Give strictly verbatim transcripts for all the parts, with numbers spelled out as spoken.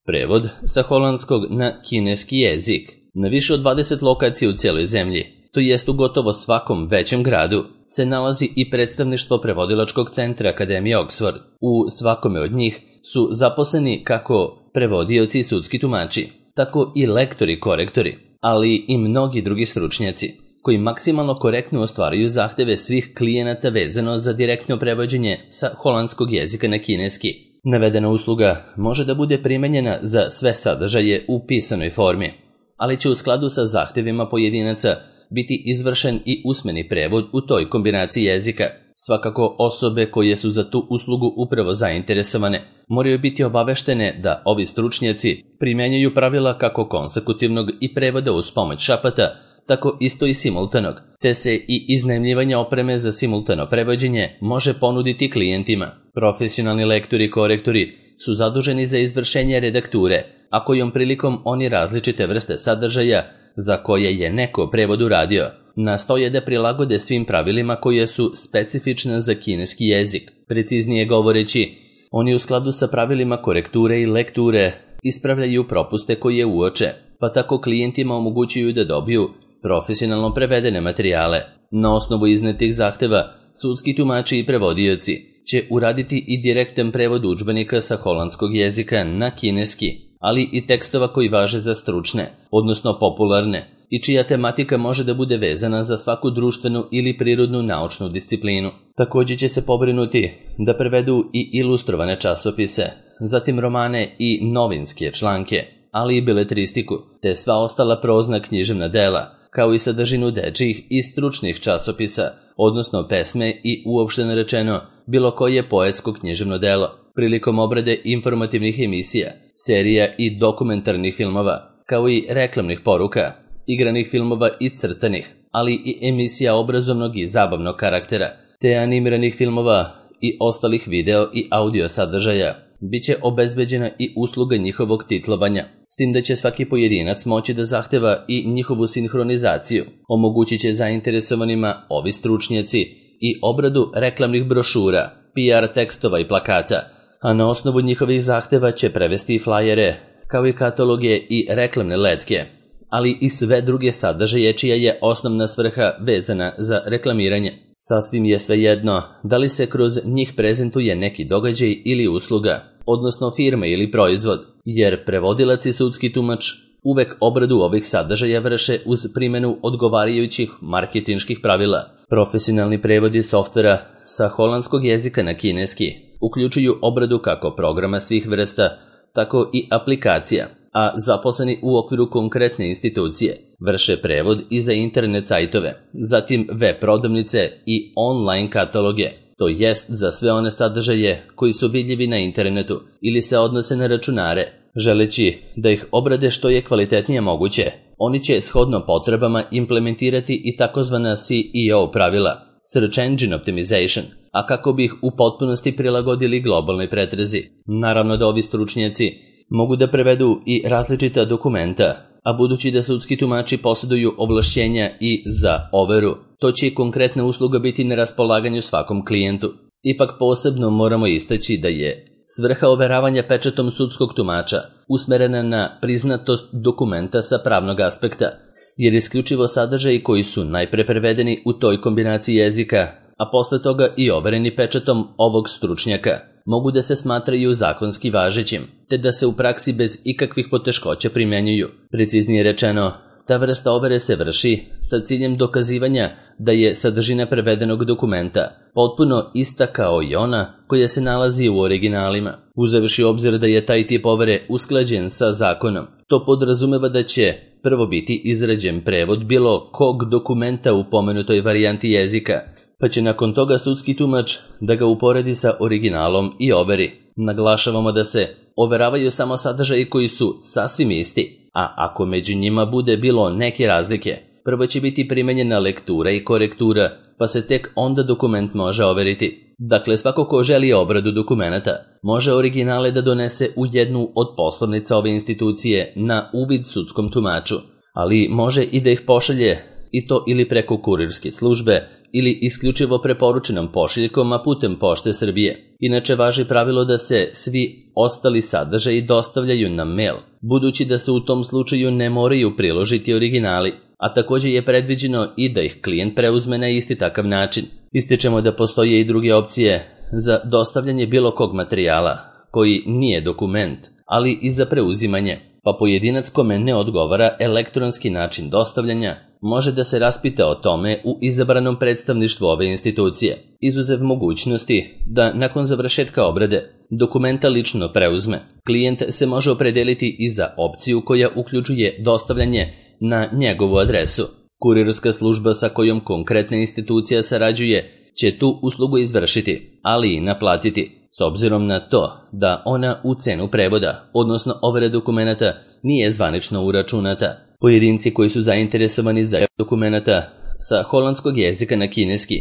Prevod sa holandskog na kineski jezik. Na više od dvadeset lokacija u cijeloj zemlji, to jest u gotovo svakom većem gradu, se nalazi i predstavništvo prevodilačkog centra Akademije Oxford. U svakome od njih su zaposleni kako prevodioci i sudski tumači, tako i lektori, korektori, ali i mnogi drugi stručnjaci, koji maksimalno korektno ostvaruju zahteve svih klijenata vezano za direktno prevođenje sa holandskog jezika na kineski. Navedena usluga može da bude primenjena za sve sadržaje u pisanoj formi, ali će u skladu sa zahtevima pojedinaca biti izvršen i usmeni prevod u toj kombinaciji jezika. Svakako osobe koje su za tu uslugu upravo zainteresovane moraju biti obaveštene da ovi stručnjaci primjenjuju pravila kako konsekutivnog i prevoda uz pomoć šapata, tako isto i simultanog, te se i iznajmljivanje opreme za simultano prevođenje može ponuditi klijentima. Profesionalni lektori i korektori su zaduženi za izvršenje redakture, a kojom prilikom oni različite vrste sadržaja za koje je neko prevod uradio, nastoje da prilagode svim pravilima koje su specifične za kineski jezik. Preciznije govoreći, oni u skladu sa pravilima korekture i lekture ispravljaju propuste koje uoče, pa tako klijentima omogućuju da dobiju profesionalno prevedene materijale. Na osnovu iznetih zahteva, sudski tumači i prevodioci će uraditi i direktan prevod udžbenika sa holandskog jezika na kineski, ali i tekstova koji važe za stručne, odnosno popularne, i čija tematika može da bude vezana za svaku društvenu ili prirodnu naučnu disciplinu. Također će se pobrinuti da prevedu i ilustrovane časopise, zatim romane i novinske članke, ali i beletristiku, te sva ostala prozna književna dela, kao i sadržinu dečijih i stručnih časopisa, odnosno pesme i uopšteno rečeno bilo koje poetsko književno delo. Prilikom obrade informativnih emisija, serija i dokumentarnih filmova, kao i reklamnih poruka, igranih filmova i crtanih, ali i emisija obrazovnog i zabavnog karaktera, te animiranih filmova i ostalih video i audio sadržaja, bit će obezbeđena i usluga njihovog titlovanja, s tim da će svaki pojedinac moći da zahteva i njihovu sinhronizaciju. Omogućit će zainteresovanima ovi stručnjaci i obradu reklamnih brošura, P R tekstova i plakata, a na osnovu njihovih zahteva će prevesti i flajere, kao i kataloge i reklamne letke, ali i sve druge sadržaje čija je osnovna svrha vezana za reklamiranje. Sasvim je svejedno da li se kroz njih prezentuje neki događaj ili usluga, odnosno firma ili proizvod, jer prevodilac i sudski tumač uvek obradu ovih sadržaja vrše uz primjenu odgovarajućih marketinških pravila. Profesionalni prevodi softvera sa holandskog jezika na kineski uključuju obradu kako programa svih vrsta, tako i aplikacija, a zaposleni u okviru konkretne institucije vrše prevod i za internet sajtove, zatim web prodavnice i online kataloge, to jest za sve one sadržaje koji su vidljivi na internetu ili se odnose na računare. Želeći da ih obrade što je kvalitetnije moguće, oni će shodno potrebama implementirati i takozvana C E O pravila, Search Engine Optimization, a kako bi ih u potpunosti prilagodili globalnoj pretrezi. Naravno da ovi stručnjaci mogu da prevedu i različita dokumenta, a budući da sudski tumači posjeduju ovlašćenja i za overu, to će i konkretna usluga biti na raspolaganju svakom klijentu. Ipak posebno moramo istaći da je svrha overavanja pečatom sudskog tumača usmerena na priznatost dokumenta sa pravnog aspekta, jer isključivo sadržaji koji su najpre prevedeni u toj kombinaciji jezika, a posle toga i overeni pečatom ovog stručnjaka, mogu da se smatraju zakonski važećim, te da se u praksi bez ikakvih poteškoća primjenjuju. Preciznije rečeno, ta vrsta overe se vrši sa ciljem dokazivanja da je sadržina prevedenog dokumenta potpuno ista kao i ona koja se nalazi u originalima. Uzevši obzir da je taj tip overe usklađen sa zakonom, to podrazumeva da će prvo biti izrađen prevod bilo kog dokumenta u pomenutoj varijanti jezika, pa će nakon toga sudski tumač da ga uporedi sa originalom i overi. Naglašavamo da se overavaju samo sadržaji koji su sasvim isti, a ako među njima bude bilo neke razlike, prvo će biti primenjena lektura i korektura, pa se tek onda dokument može overiti. Dakle, svako ko želi obradu dokumenata može originale da donese u jednu od poslovnica ove institucije na uvid sudskom tumaču, ali može i da ih pošalje, i to ili preko kurirske službe ili isključivo preporučenom pošiljkom, a putem Pošte Srbije. Inače važi pravilo da se svi ostali sadržaji dostavljaju na mail, budući da se u tom slučaju ne moraju priložiti originali, a također je predviđeno i da ih klijent preuzme na isti takav način. Ističemo da postoje i druge opcije za dostavljanje bilo kog materijala koji nije dokument, ali i za preuzimanje, pa pojedinac kome ne odgovara elektronski način dostavljanja može da se raspita o tome u izabranom predstavništvu ove institucije, izuzev mogućnosti da nakon završetka obrade dokumenta lično preuzme. Klijent se može opredeliti i za opciju koja uključuje dostavljanje na njegovu adresu. Kurirska služba sa kojom konkretna institucija sarađuje će tu uslugu izvršiti, ali i naplatiti, s obzirom na to da ona u cenu prevoda, odnosno overe dokumenata, nije zvanično uračunata. Pojedinci koji su zainteresovani za dokumenata sa holandskog jezika na kineski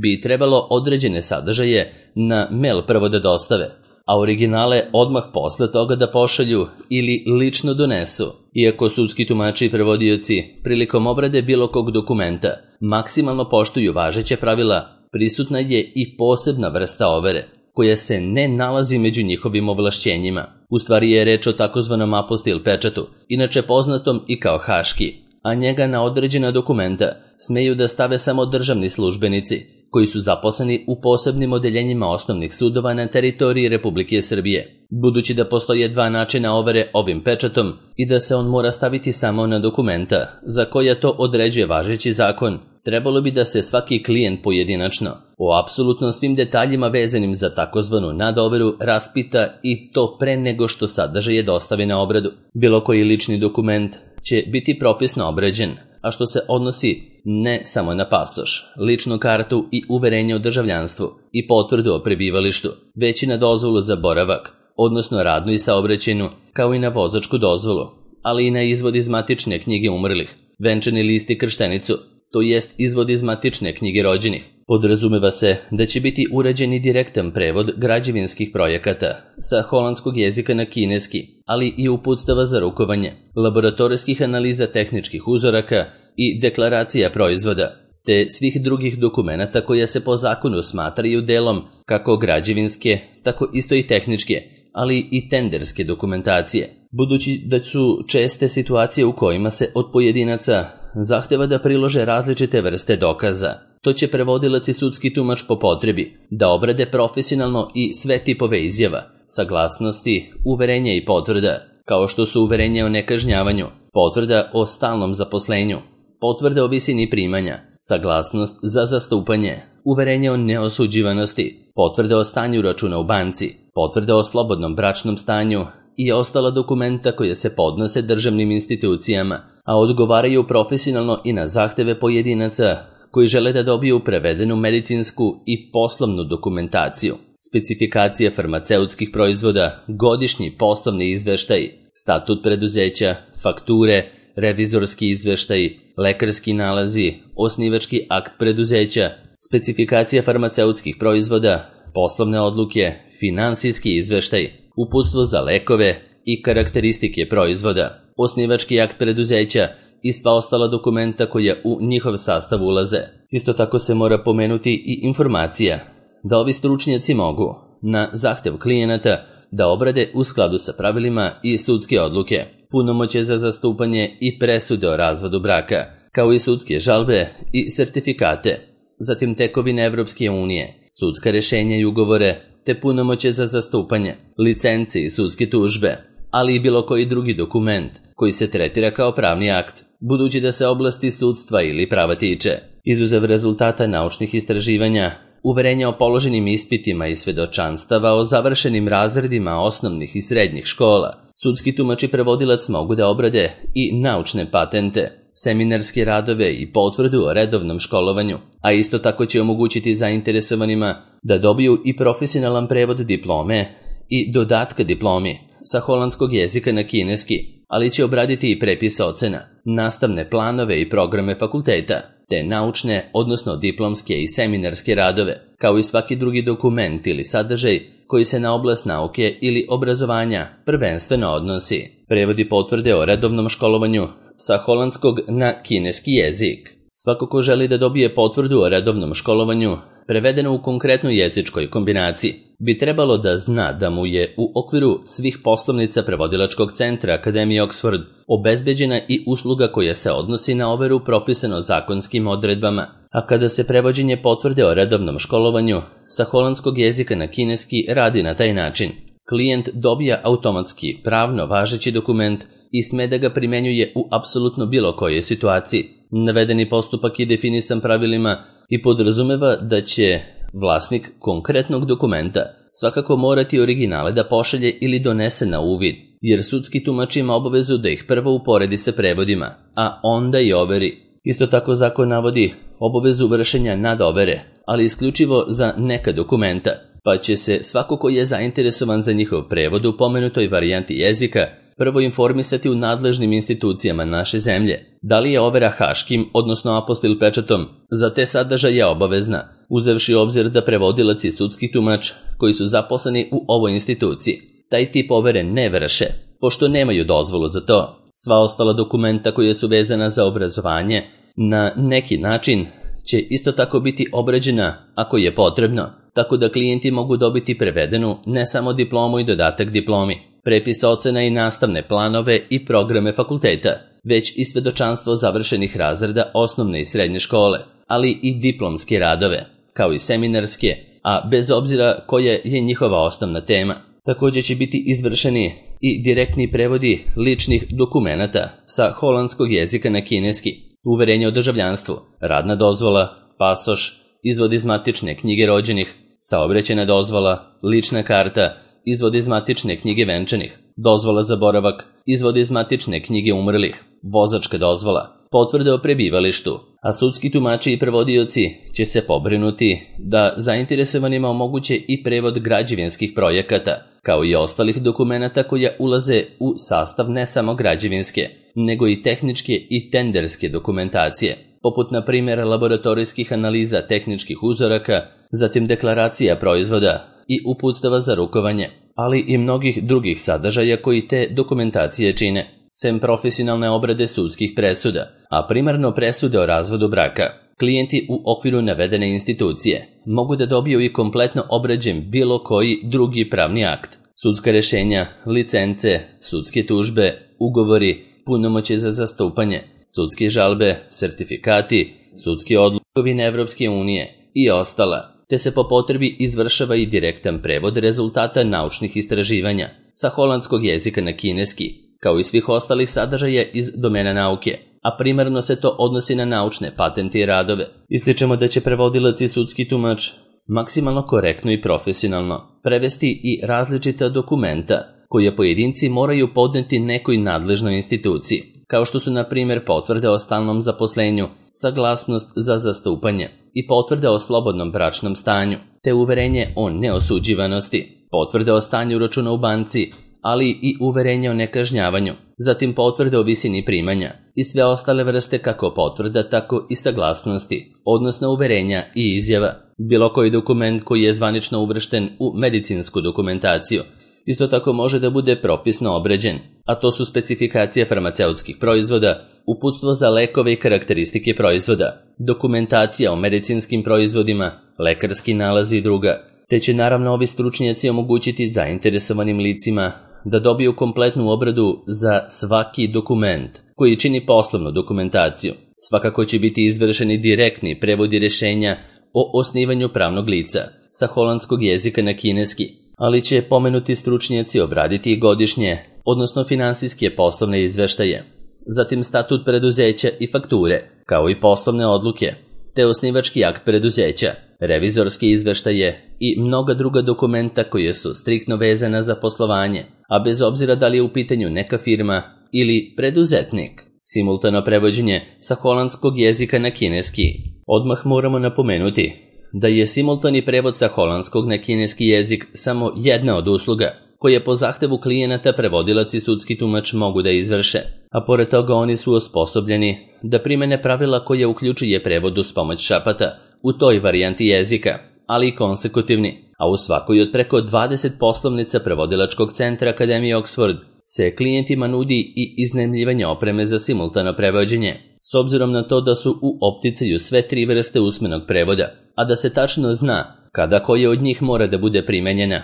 bi trebalo određene sadržaje na mail prvo da dostave, a originale odmah posle toga da pošalju ili lično donesu. Iako sudski tumači i prevodioci prilikom obrade bilo kog dokumenta maksimalno poštuju važeće pravila, prisutna je i posebna vrsta overe, koja se ne nalazi među njihovim ovlašćenjima. U stvari je reč o takozvanom apostil pečatu, inače poznatom i kao haški, a njega na određena dokumenta smeju da stave samo državni službenici, koji su zaposleni u posebnim odeljenjima osnovnih sudova na teritoriji Republike Srbije. Budući da postoje dva načina overe ovim pečatom i da se on mora staviti samo na dokumenta za koja to određuje važeći zakon, trebalo bi da se svaki klijent pojedinačno o apsolutno svim detaljima vezanim za takozvanu nadoveru raspita i to pre nego što sadržaje dostavi na obradu. Bilo koji lični dokument će biti propisno obrađen, a što se odnosi ne samo na pasoš, ličnu kartu i uverenje o državljanstvu i potvrdu o prebivalištu, već i na dozvolu za boravak, odnosno radnu i saobraćajnu, kao i na vozačku dozvolu, ali i na izvod iz matične knjige umrlih, venčani list i krštenicu, to jest izvod iz matične knjige rođenih. Podrazumeva se da će biti urađen i direktan prevod građevinskih projekata sa holandskog jezika na kineski, ali i uputstava za rukovanje, laboratorijskih analiza tehničkih uzoraka i deklaracija proizvoda, te svih drugih dokumenata koja se po zakonu smatraju delom kako građevinske, tako isto i tehničke, ali i tenderske dokumentacije. Budući da su česte situacije u kojima se od pojedinaca zahteva da prilože različite vrste dokaza, to će prevodilac i sudski tumač po potrebi da obrade profesionalno i sve tipove izjava, saglasnosti, uverenja i potvrda, kao što su uverenje o nekažnjavanju, potvrda o stalnom zaposlenju, potvrda o visini primanja, saglasnost za zastupanje, uverenje o neosuđivanosti, potvrda o stanju računa u banci, potvrda o slobodnom bračnom stanju i ostala dokumenta koje se podnose državnim institucijama, a odgovaraju profesionalno i na zahteve pojedinaca koji žele da dobiju prevedenu medicinsku i poslovnu dokumentaciju, specifikacije farmaceutskih proizvoda, godišnji poslovni izveštaj, statut preduzeća, fakture, revizorski izveštaj, lekarski nalazi, osnivački akt preduzeća, specifikacija farmaceutskih proizvoda, poslovne odluke, finansijski izveštaj, uputstvo za lekove i karakteristike proizvoda, osnivački akt preduzeća i sva ostala dokumenta koja u njihov sastav ulaze. Isto tako se mora pomenuti i informacija da ovi stručnjaci mogu, na zahtev klijenata, da obrade u skladu sa pravilima i sudske odluke, punomoćje za zastupanje i presude o razvodu braka, kao i sudske žalbe i sertifikate, zatim tekovine Evropske unije, sudska rešenja i ugovore, te punomoćje za zastupanje, licence i sudske tužbe, ali i bilo koji drugi dokument koji se tretira kao pravni akt, budući da se oblasti sudstva ili prava tiče. Izuzev rezultata naučnih istraživanja, uverenja o položenim ispitima i svedočanstava o završenim razredima osnovnih i srednjih škola, sudski tumač i prevodilac mogu da obrade i naučne patente, seminarske radove i potvrdu o redovnom školovanju, a isto tako će omogućiti zainteresovanima da dobiju i profesionalan prevod diplome i dodatka diplomi sa holandskog jezika na kineski, ali će obraditi i prepis ocena, nastavne planove i programe fakulteta, te naučne, odnosno diplomske i seminarske radove, kao i svaki drugi dokument ili sadržaj koji se na oblast nauke ili obrazovanja prvenstveno odnosi. Prevodi potvrde o redovnom školovanju sa holandskog na kineski jezik, Svako ko želi da dobije potvrdu o redovnom školovanju, prevedeno u konkretnoj jezičkoj kombinaciji, bi trebalo da zna da mu je u okviru svih poslovnica prevodilačkog centra Akademije Oxford obezbeđena i usluga koja se odnosi na overu propisano zakonskim odredbama, a kada se prevođenje potvrde o redovnom školovanju sa holandskog jezika na kineski radi na taj način, klijent dobija automatski pravno važeći dokument i sme da ga primenjuje u apsolutno bilo kojoj situaciji. Navedeni postupak je definisan pravilima i podrazumeva da će vlasnik konkretnog dokumenta svakako morati originale da pošalje ili donese na uvid, jer sudski tumač ima obavezu da ih prvo uporedi sa prevodima, a onda i overi. Isto tako zakon navodi obavezu vršenja nadovere, ali isključivo za neka dokumenta, pa će se svako ko je zainteresovan za njihov prevod u pomenutoj varijanti jezika prvo informisati u nadležnim institucijama naše zemlje, da li je overa haškim, odnosno apostil pečatom, za te sadržaje obavezna, uzevši u obzir da prevodilac i sudski tumač koji su zaposleni u ovoj instituciji taj tip overe ne vrše, pošto nemaju dozvolu za to. Sva ostala dokumenta koja su vezana za obrazovanje na neki način će isto tako biti obrađena ako je potrebno, tako da klijenti mogu dobiti prevedenu ne samo diplomu i dodatak diplomi, prepis ocena i nastavne planove i programe fakulteta, već i svedočanstvo završenih razreda osnovne i srednje škole, ali i diplomske radove, kao i seminarske, a bez obzira koja je njihova osnovna tema. Također će biti izvršeni i direktni prevodi ličnih dokumenata sa holandskog jezika na kineski, uverenje o državljanstvu, radna dozvola, pasoš, izvod iz matične knjige rođenih, saobraćajna dozvola, lična karta, izvod iz matične knjige venčanih, dozvola za boravak, izvod iz matične knjige umrlih, vozačka dozvola, potvrde o prebivalištu, a sudski tumači i prevodioci će se pobrinuti da zainteresovanima omoguće i prevod građevinskih projekata, kao i ostalih dokumenata koja ulaze u sastav ne samo građevinske, nego i tehničke i tenderske dokumentacije, poput na primjer laboratorijskih analiza tehničkih uzoraka, zatim deklaracija proizvoda i uputstava za rukovanje, ali i mnogih drugih sadržaja koji te dokumentacije čine, sem profesionalne obrade sudskih presuda, a primarno presude o razvodu braka. Klijenti u okviru navedene institucije mogu da dobiju i kompletno obrađen bilo koji drugi pravni akt, sudska rešenja, licence, sudske tužbe, ugovori, punomoćje za zastupanje, sudske žalbe, sertifikati, sudski odlukovi Evropske unije i ostala, te se po potrebi izvršava i direktan prevod rezultata naučnih istraživanja sa holandskog jezika na kineski, kao i svih ostalih sadržaja iz domena nauke, a primarno se to odnosi na naučne patente i radove. Ističemo da će prevodilac i sudski tumač maksimalno korektno i profesionalno prevesti i različita dokumenta koje pojedinci moraju podneti nekoj nadležnoj instituciji, kao što su na primjer potvrde o stalnom zaposlenju, saglasnost za zastupanje i potvrde o slobodnom bračnom stanju, te uverenje o neosuđivanosti, potvrde o stanju računa u banci, ali i uverenje o nekažnjavanju, zatim potvrde o visini primanja i sve ostale vrste kako potvrda, tako i saglasnosti, odnosno uverenja i izjava. Bilo koji dokument koji je zvanično uvršten u medicinsku dokumentaciju isto tako može da bude propisno obrađen, a to su specifikacije farmaceutskih proizvoda, uputstvo za lekove i karakteristike proizvoda, dokumentacija o medicinskim proizvodima, lekarski nalazi i druga, te će naravno ovi stručnjaci omogućiti zainteresovanim licima da dobiju kompletnu obradu za svaki dokument koji čini poslovnu dokumentaciju. Svakako će biti izvršeni direktni prevodi rešenja o osnivanju pravnog lica sa holandskog jezika na kineski, ali će pomenuti stručnjaci obraditi i godišnje, odnosno finansijske poslovne izveštaje, zatim statut preduzeća i fakture, kao i poslovne odluke, te osnivački akt preduzeća, revizorske izveštaje i mnoga druga dokumenta koje su striktno vezana za poslovanje, a bez obzira da li je u pitanju neka firma ili preduzetnik. Simultano prevođenje sa holandskog jezika na kineski. Odmah moramo napomenuti da je simultani prevod sa holandskog na kineski jezik samo jedna od usluga koje po zahtevu klijenata prevodilac i sudski tumač mogu da izvrše, a pored toga oni su osposobljeni da primene pravila koje uključuje prevod uz pomoć šapata u toj varijanti jezika, ali i konsekutivni, a u svakoj od preko dvadeset poslovnica prevodilačkog centra Akademije Oxford se klijentima nudi i iznajmljivanje opreme za simultano prevođenje. s obzirom na to da su u opticaju sve tri vrste usmenog prevoda, a da se tačno zna kada koja od njih mora da bude primenjena.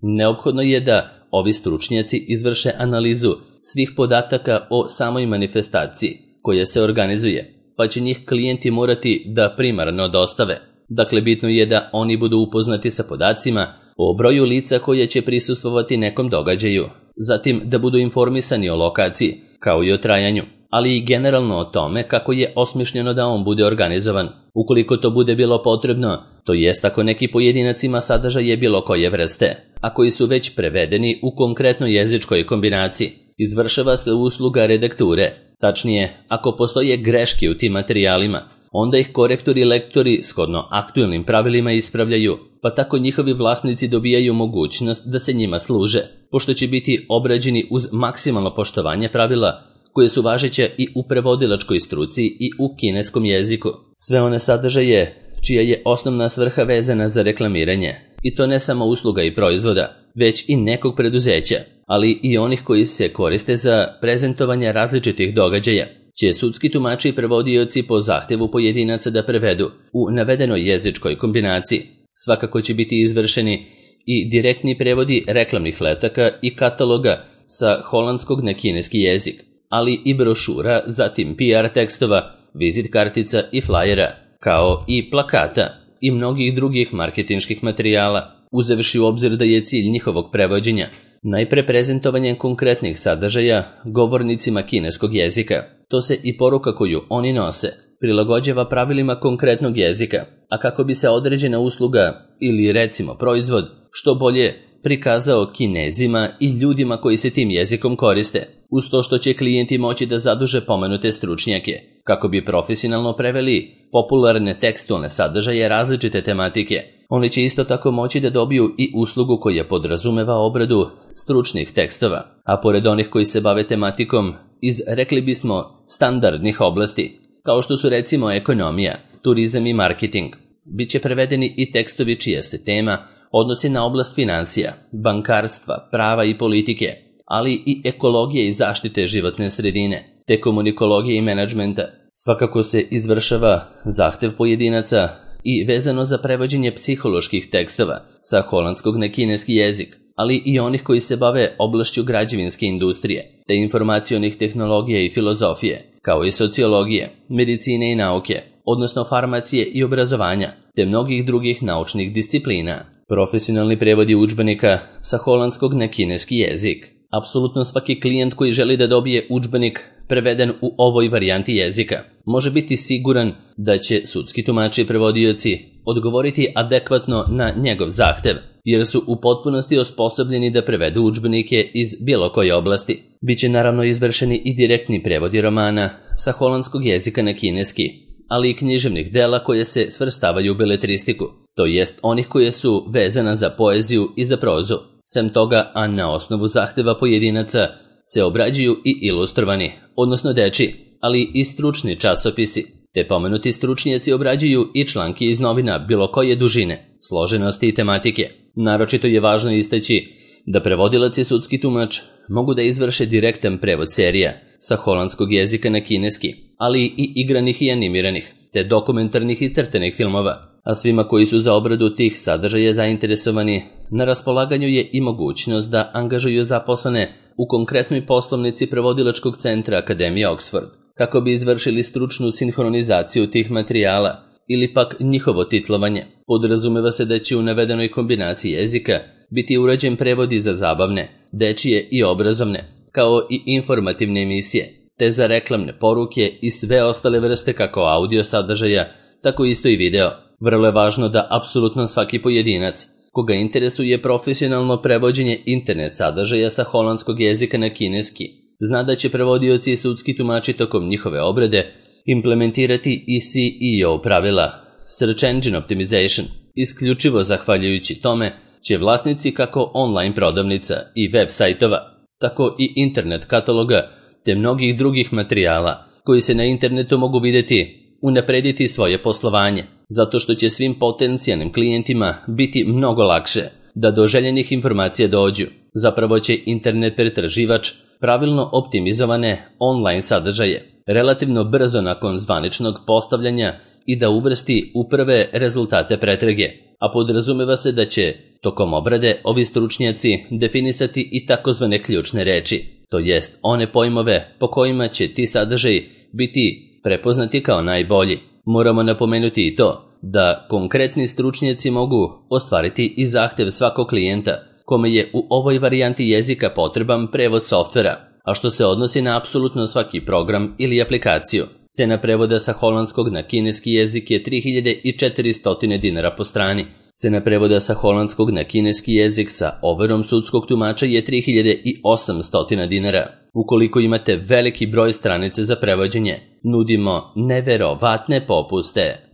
Neophodno je da ovi stručnjaci izvrše analizu svih podataka o samoj manifestaciji koja se organizuje, pa će njih klijenti morati da primarno dostave. Dakle, bitno je da oni budu upoznati sa podacima o broju lica koje će prisustvovati nekom događaju, zatim da budu informisani o lokaciji, kao i o trajanju, ali i generalno o tome kako je osmišljeno da on bude organizovan. Ukoliko to bude bilo potrebno, to jest ako neki pojedinac ima sadržaje bilo koje vrste, a koji su već prevedeni u konkretnoj jezičkoj kombinaciji, izvršava se usluga redakture. Tačnije, ako postoje greške u tim materijalima, onda ih korektori i lektori shodno aktuelnim pravilima ispravljaju, pa tako njihovi vlasnici dobijaju mogućnost da se njima služe, pošto će biti obrađeni uz maksimalno poštovanje pravila koje su važeće i u prevodilačkoj struci i u kineskom jeziku. Sve one sadržaje čija je osnovna svrha vezana za reklamiranje, i to ne samo usluga i proizvoda, već i nekog preduzeća, ali i onih koji se koriste za prezentovanje različitih događaja, će sudski tumači i prevodioci po zahtevu pojedinaca da prevedu u navedenoj jezičkoj kombinaciji. Svakako će biti izvršeni i direktni prevodi reklamnih letaka i kataloga sa holandskog na kineski jezik, ali i brošura, zatim P R tekstova, vizit kartica i flajera, kao i plakata i mnogih drugih marketinških materijala, uzevši u obzir da je cilj njihovog prevođenja najpre prezentovanje konkretnih sadržaja govornicima kineskog jezika. To se i poruka koju oni nose prilagođava pravilima konkretnog jezika, a kako bi se određena usluga ili recimo proizvod što bolje prikazao Kinezima i ljudima koji se tim jezikom koriste, uz to što će klijenti moći da zaduže pomenute stručnjake, kako bi profesionalno preveli popularne tekstualne sadržaje različite tematike. Oni će isto tako moći da dobiju i uslugu koja podrazumeva obradu stručnih tekstova, a pored onih koji se bave tematikom iz, rekli bismo, standardnih oblasti, kao što su recimo ekonomija, turizam i marketing, bit će prevedeni i tekstovi čija se tema odnosi na oblast financija, bankarstva, prava i politike, ali i ekologije i zaštite životne sredine, te komunikologije i menadžmenta. Svakako se izvršava zahtev pojedinaca i vezano za prevođenje psiholoških tekstova sa holandskog na kineski jezik, ali i onih koji se bave oblašću građevinske industrije, te informacionih tehnologija i filozofije, kao i sociologije, medicine i nauke, odnosno farmacije i obrazovanja, te mnogih drugih naučnih disciplina. Profesionalni prevodi udžbenika sa holandskog na kineski jezik. Apsolutno svaki klijent koji želi da dobije udžbenik preveden u ovoj varijanti jezika može biti siguran da će sudski tumači i prevodioci odgovoriti adekvatno na njegov zahtev, jer su u potpunosti osposobljeni da prevedu udžbenike iz bilo koje oblasti. Biće naravno izvršeni i direktni prevodi romana sa holandskog jezika na kineski, ali i književnih dela koje se svrstavaju u beletristiku, to jest onih koje su vezana za poeziju i za prozu. Sem toga, a na osnovu zahteva pojedinaca, se obrađuju i ilustrovani, odnosno dečiji, ali i stručni časopisi, te pomenuti stručnjaci obrađuju i članke iz novina bilo koje dužine, složenosti i tematike. Naročito je važno istaći da prevodilac i sudski tumač mogu da izvrše direktan prevod serija sa holandskog jezika na kineski, ali i igranih i animiranih, te dokumentarnih i crtenih filmova. A svima koji su za obradu tih sadržaja zainteresovani, na raspolaganju je i mogućnost da angažuju zaposlene u konkretnoj poslovnici prevodilačkog centra Akademije Oxford, kako bi izvršili stručnu sinhronizaciju tih materijala ili pak njihovo titlovanje. Podrazumeva se da će u navedenoj kombinaciji jezika biti urađen prevodi za zabavne, dečije i obrazovne, kao i informativne emisije, te za reklamne poruke i sve ostale vrste kako audio sadržaja, tako isto i video. Vrlo je važno da apsolutno svaki pojedinac koga interesuje profesionalno prevođenje internet sadržaja sa holandskog jezika na kineski zna da će prevodioci i sudski tumači tokom njihove obrade implementirati i C E O pravila, Search Engine Optimization. Isključivo zahvaljujući tome će vlasnici kako online prodavnica i web sajtova, tako i internet kataloga te mnogih drugih materijala koji se na internetu mogu vidjeti unaprediti svoje poslovanje, zato što će svim potencijalnim klijentima biti mnogo lakše da do željenih informacija dođu. Zapravo će internet pretraživač pravilno optimizovane online sadržaje relativno brzo nakon zvaničnog postavljanja i da uvrsti u prve rezultate pretrage, a podrazumeva se da će tokom obrade ovi stručnjaci definisati i takozvane ključne reči, to jest one pojmove po kojima će ti sadržaji biti prepoznati kao najbolji. Moramo napomenuti i to da konkretni stručnjaci mogu ostvariti i zahtev svakog klijenta kome je u ovoj varijanti jezika potreban prevod softvera, a što se odnosi na apsolutno svaki program ili aplikaciju. Cena prevoda sa holandskog na kineski jezik je tri hiljade četiristo dinara po strani. Cena prevoda sa holandskog na kineski jezik sa overom sudskog tumača je tri hiljade osamsto dinara. Ukoliko imate veliki broj stranice za prevođenje, nudimo neverovatne popuste.